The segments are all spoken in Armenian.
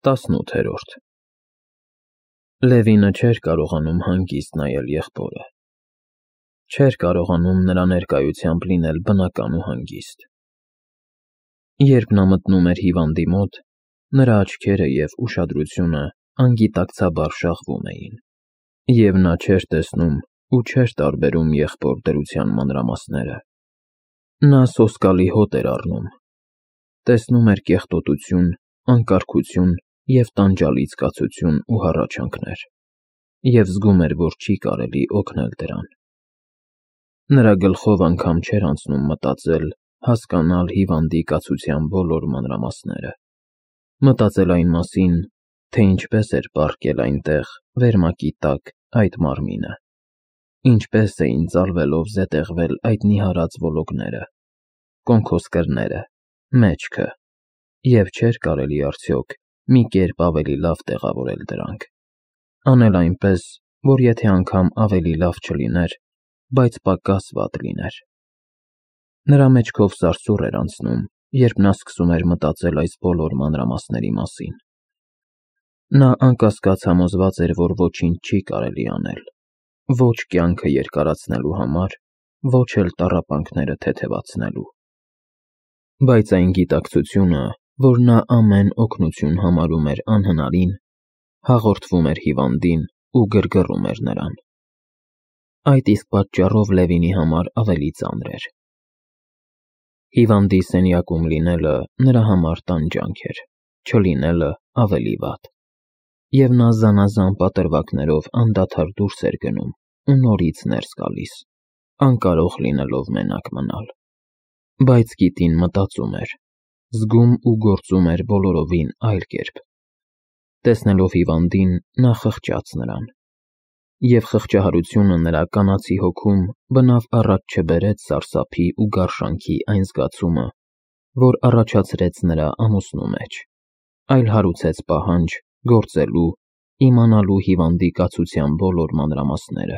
18-րդ Լևինը չէր կարողանում հանգիստ նայել եղբորը, չէր կարողանում նրա ներկայությամբ լինել բնական ու հանգիստ։ Երբ նա մտնում էր հիվանդի մոտ, նրա աչքերը և ուշադրությունը անգիտակցաբար շաղվում էին, և նա չէր տեսնում ու չէր տարբերում եղբոր դրության մանրամասները։ Նա սոսկալի հոտ էր առնում, տեսնում էր կեղտոտություն, անկարգություն և տանջալից զգացություն ու հառաչանքներ, և զգում էր, որ չի կարելի օգնել դրան։ Նրա գլխով անգամ չէր անցնում մտածել, հասկանալ հիվանդի կացության բոլոր մանրամասները, մտածել այն մասին, թե ինչպես էր պառկել այնտեղ վերմակի տակ այդ մարմինը, ինչպես էին ծալվելով զետեղվել այդ նիհարած ոլորները, կոնքոսկրները, մեջքը, և չէր կարելի արդյոք մի կերպ ավելի լավ տեղավորել դրանք, անել այնպես, որ եթե անգամ ավելի լավ չլիներ, բայց պակաս վատ լիներ։ Նրա մեջքով սարսուռ էր անցնում, երբ նա սկսում էր մտածել այս բոլոր մանրամասների մասին։ Նա անկասկած համոզված էր, որ ոչինչ չի կարելի անել, ոչ կյանքը երկարացնելու համար, ոչ էլ տառապանքները թեթևացնելու։ Բայց այն գիտակցությունը, որ նա ամեն օգնություն համարում էր անհնարին, հաղորդվում էր հիվանդին ու գրգռում էր նրան։ Այդ իսկ պատճառով Լևինի համար ավելի ծանր էր։ Հիվանդի սենյակում լինելը նրա համար տանջանք էր, չլինելը ավելի վատ։ Եվ նա զանազան պատրվակներով անդադար դուրս էր գնում ու նորից ներս գալիս, անկարող լինելով մենակ մնալ։ Բայց գիտին մտածում էր, զգում ու գործում էր բոլորովին այլ կերպ։ Տեսնելով հիվանդին, նա խղճաց նրան, և խղճահարությունը նրա կանացի հոգում բնավ առաջ չբերեց սարսափի ու գարշանքի այն զգացումը, որ առաջացրեց նրա ամուսնու մեջ, այլ հարուցեց պահանջ գործելու, իմանալու հիվանդի կացության բոլոր մանրամասները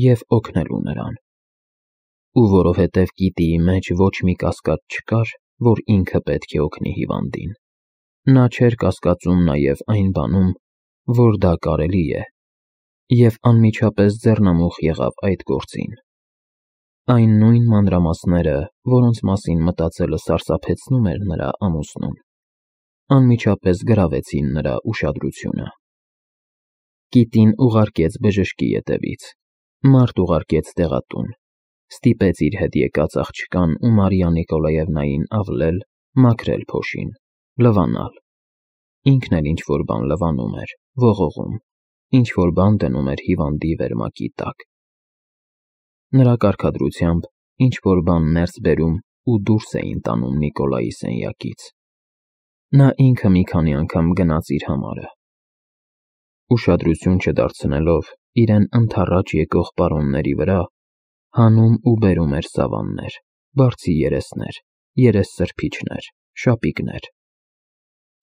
և օգնելու նրան։ Ու որովհետև գիտիի մեջ ոչ մի կասկած չկար, որ ինքը պետք է օգնի հիվանդին, նա չէր կասկածում նաև այն բանում, որ դա կարելի է, և անմիջապես ձեռնամուխ եղավ այդ գործին։ Այն նույն մանրամասները, որոնց մասին մտածելը սարսափեցնում էր նրա ամուսնուն, անմիջապես գրավեցին նրա ուշադրությունը։ Կիտին ուղարկեց բժշկի ետևից, մարդ ուղարկեց դեղատուն, ստիպեց իր հետ եկած աղջկան ու Մարիա Նիկոլաևնային ավլել, մաքրել փոշին, լվանալ։ Ինքն էլ ինչ-որ բան լվանում էր, ողողում, ինչ-որ բան դնում էր հիվանդի վերմակի տակ։ Նրա կարգադրությամբ ինչ-որ բան ներս բերում ու դուրս էին տանում Նիկոլայի սենյակից։ Նա ինքը մի քանի անգամ գնաց իր համարը։ Ուշադրություն չդարձնելով իրեն ընդառաջ եկող պարոնների վրա, հանում ու բերում էր սավաններ, բարձի երեսներ, երեսսրբիչներ, շապիկներ։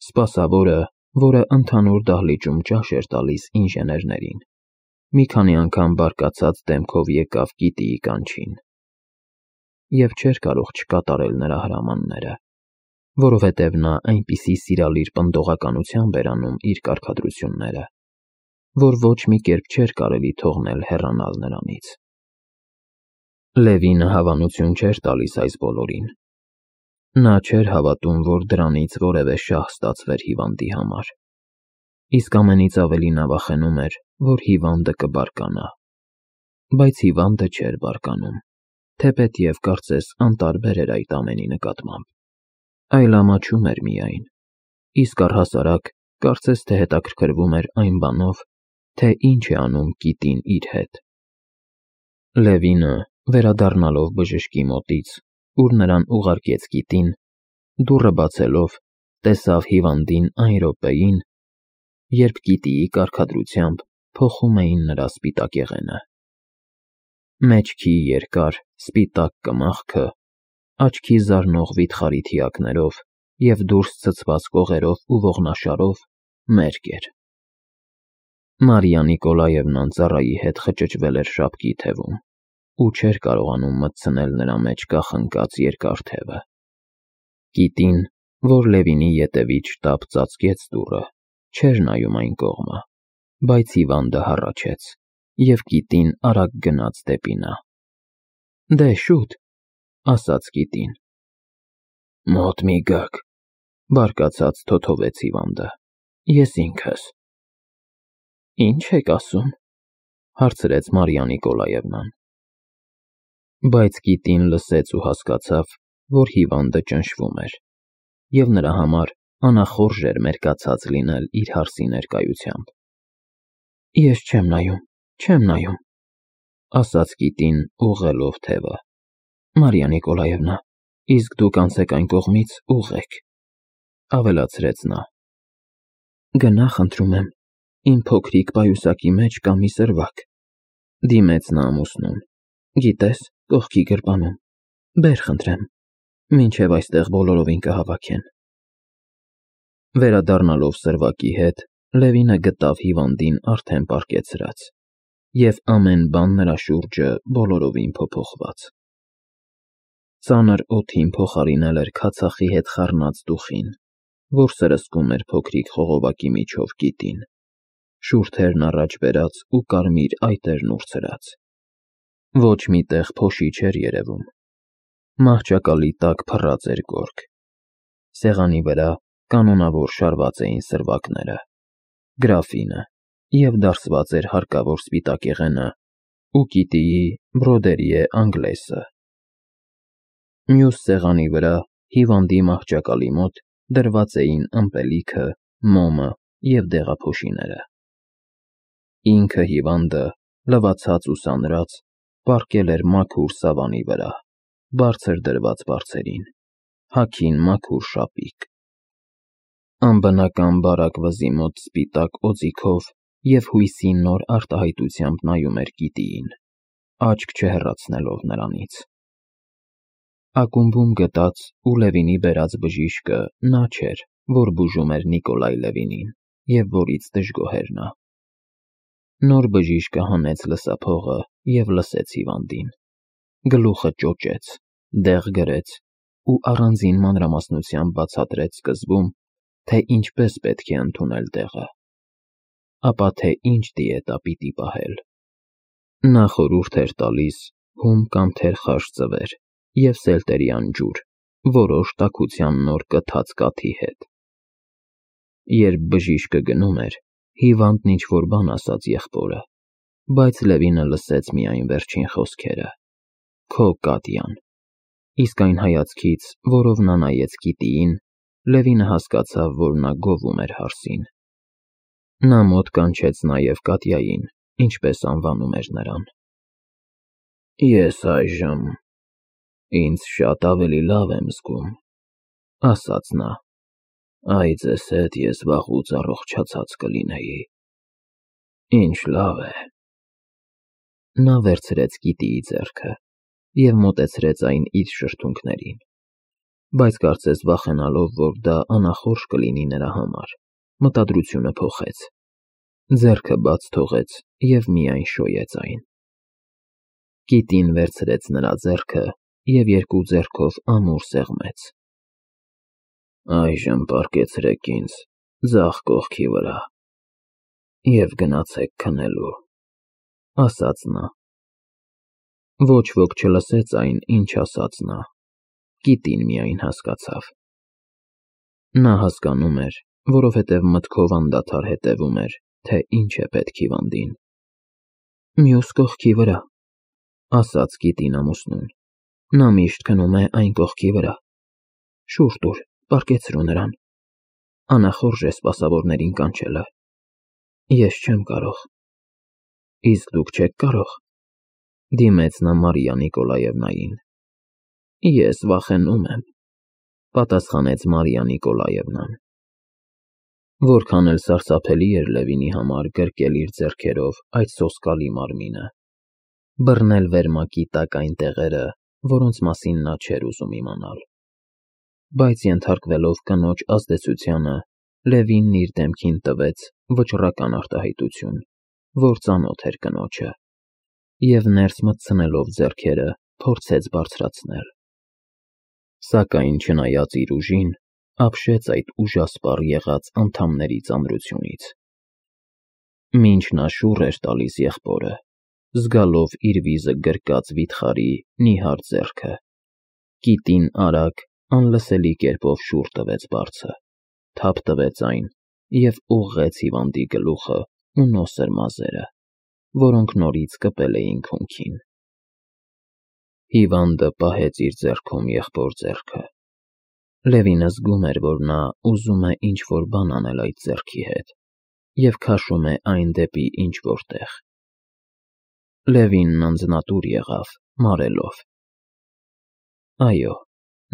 Սպասավորը, որը ընդհանուր դահլիճում ճաշ էր տալիս ինժեներներին, մի քանի անգամ բարկացած դեմքով եկավ գիտիի կանչին, և չէր կարող չկատարել նրա հրամանները, որովհետև նա այնպիսի սիրալիր պնդողականությամբ էր անում իր կարգադրությունները, որ ոչ մի կերպ չէր կարելի թողնել հեռանալ նրանից։ Լևինը հավանություն չէր տալիս այս բոլորին։ Նա չէր հավատում, որ դրանից որևէ շահ ստացվեր հիվանդի համար, իսկ ամենից ավելի նա վախենում էր, որ հիվանդը կբարկանա։ Բայց հիվանդը չէր բարկանում, թեպետև կարծես անտարբեր էր այդ ամենի նկատմամբ, այլ ամաչում էր միայն, իսկ առհասարակ կարծես թե հետաքրքրվում էր այն բանով, թե ինչ է անում կիտին իր հետ։ Լևինը, վերադառնալով բժշկի մոտից, ուր նրան ուղարկեց գիտին, դուռը բացելով, տեսավ հիվանդին այն րոպեին, երբ գիտիի կարգադրությամբ փոխում էին նրա սպիտակեղենը։ Մեջքի երկար, սպիտակ կմախքը, աչքի զարնող վիթխարի թիակներով և դուրս ցցված կողերով ու ողնաշարով մերկ էր։ Մարիա Նիկոլաևնան ծառայի հետ խճճվել էր շապկի թևում ու չէր կարողանում մտցնել նրա մեջ կախնկած երկար թևը։ Գիտին, որ Լևինի ետևից շտապ ծածկեց դուռը, չէր նայում այն կողմը, բայց հիվանդը հառաչեց, և կիտին արագ գնաց դեպի նա։ «Դե շուտ», ասաց կիտին։ «Մոտ մի գաք», բարկացած թոթովեց հիվանդը։ «Ես ինքս»։ «Ինչ եք ասում», հարցրեց Մարիա Նիկոլաևնան։ Բայց կիտին լսեց ու հասկացավ, որ հիվանդը ճնշվում էր, և նրա համար անախորժ էր մերկացած լինել իր հարսի ներկայությամբ։ «Ես չեմ նայում», ասաց կիտին ուղղելով թևը։ «Մարիա Նիկոլաևնա, իսկ դուք անցեք այն կողմից, ուղղեք», ավելացրեց նա։ «Գնա, խնդրում եմ, իմ փոքրիկ պայուսակի մեջ կա մի սրվակ», դիմեց նա ամուսնուն։ «Գիտես, կողքի գրպանում, բեր խնդրեմ, մինչև այստեղ բոլորովին կհավաքեն»։ Վերադառնալով սրվակի հետ, Լևինը գտավ հիվանդին արդեն պառկեցրած, և ամեն բան նրա շուրջը բոլորովին փոփոխված։ Ծանր օդին փոխարինել էր քացախի հետ խառնած դուխին, որ սրսկում էր փոքրիկ խողովակի միջով կիտին, շուրթերն առաջ բերած ու կարմիր այտերն ուրցրած։ Ոչ մի տեղ փոշի չէր երևում։ Մահճակալի տակ փռած էր գորգ։ Սեղանի վրա կանոնավոր շարված էին սրվակները, գրաֆինը, և դարսված էր հարկավոր սպիտակեղենը ու կիտիի բրոդերիե անգլեսը։ Մյուս սեղանի վրա, հիվանդի մահճակալի մոտ, դրված էին ըմպելիքը, մոմը և դեղափոշիները։ Ինքը հիվանդը, լվացած ու սանրած, պառկել էր մաքուր սավանի վրա, բարձր դրված բարձերին, հագին մաքուր շապիկ։ Անբնական բարակ վզի մոտ սպիտակ օձիքով և հույսի նոր արտահայտությամբ նայում էր կիտիին, աչք չհեռացնելով նրանից։ Ակումբում գտած ու Լևինի բերած բժիշկը նա չէր, որ բուժում էր Նիկոլայ Լևինին, և որից դժգոհ էր նա։ Նոր բժիշկը հանեց լսափողը և լսեց հիվանդին։ Գլուխը ճոճեց, դեղ գրեց ու առանձին մանրամասնությամբ բացատրեց սկզբում, թե ինչպես պետք է ընդունել դեղը, ապա թե ինչ դիետա պիտի պահել։ Նա խորհուրդ էր տալիս հում կամ թերխաշ ձվեր և սելտերյան ջուր, որոշ տաքության նոր կթած կաթի հետ։ Երբ բժիշկը գնում էր, հիվանդն ինչ-որ բան ասաց եղբորը, բայց Լևինը լսեց միայն վերջին խոսքերը. «Քո Կատյան», իսկ այն հայացքից, որով նա նայեց կիտիին, Լևինը հասկացավ, որ նա գովում էր հարսին։ Նա մոտ կանչեց նաև Կատյային, ինչպես անվանում էր նրան։ «Ես այժմ ինձ շատ ավելի լավ եմ զգում», ասաց նա։ «Այ ձեզ հետ ես վաղուց առողջացած կլինեի։ Ինչ լավ է»։ Նա վերցրեց կիտիի ձեռքը և մոտեցրեց այն իր շրթունքներին, բայց կարծես վախենալով, որ դա անախորժ կլինի նրա համար, մտադրությունը փոխեց, ձեռքը բաց թողեց և միայն շոյեց այն։ Կիտին վերցրեց նրա ձեռքը և երկու ձեռքով ամուր սեղմեց։ «Այժմ պառկեցրեք ինձ ձախ կողքի վրա և գնացեք քնելու», ասաց նա։ Ոչ ոք չլսեց այն, ինչ ասաց նա, կիտին միայն հասկացավ։ Նա հասկանում էր, որովհետև մտքով անդադար հետևում էր, թե ինչ է պետք հիվանդին։ «Մյուս կողքի վրա», ասաց կիտին ամուսնուն։ «Նա միշտ քնում է այն կողքի վրա։ Շուռ տուր, պառկեցրու նրան։ Անախորժ է սպասավորներին կանչելը։ Ես չեմ կարող»։ «Իսկ դուք չեք կարող», դիմեց նա Մարիա Նիկոլաևնային։ «Ես վախենում եմ», պատասխանեց Մարիա Նիկոլաևնան։ Որքան էլ սարսափելի էր Լևինի համար գրկել իր ձեռքերով այդ սոսկալի մարմինը, բռնել վերմակի տակ այն տեղերը, որոնց մասին նա չէր ուզում իմանալ, բայց ենթարկվելով կնոջ ազդեցությանը, Լևինն իր դեմքին տվեց վճռական արտահայտություն, որ ծանոթ էր կնոջը, և ներս մտցնելով ձեռքերը, փորձեց բարձրացնել։ Սակայն չնայած իր ուժին, ապշեց այդ ուժասպառ եղած անդամների ծանրությունից։ Մինչ նա շուռ էր տալիս եղբորը, զգալով իր վիզը գրկած վիթխարի նիհար ձեռքը, կիտին արագ, անլսելի կերպով շուռ տվեց բարձը, թափ տվեց այն և ուղղեց հիվանդի գլուխը ու նոսր մազերը, որոնք նորից կպել էին քունքին։ Հիվանդը պահեց իր ձեռքում եղբոր ձեռքը։ Լևինը զգում էր, որ նա ուզում է ինչ-որ բան անել այդ ձեռքի հետ և քաշում է այն դեպի ինչ-որ տեղ։ Լևինն անձնատուր եղավ, մարելով։ Այո,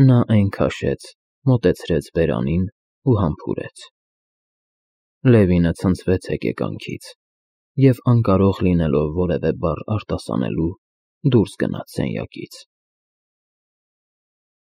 նա այն քաշեց, մոտեցրեց բերանին ու համբուրեց։ Լևինը ցնցվեց հեկեկանքից և, անկարող լինելով որևէ բառ արտասանելու, դուրս գնաց սենյակից։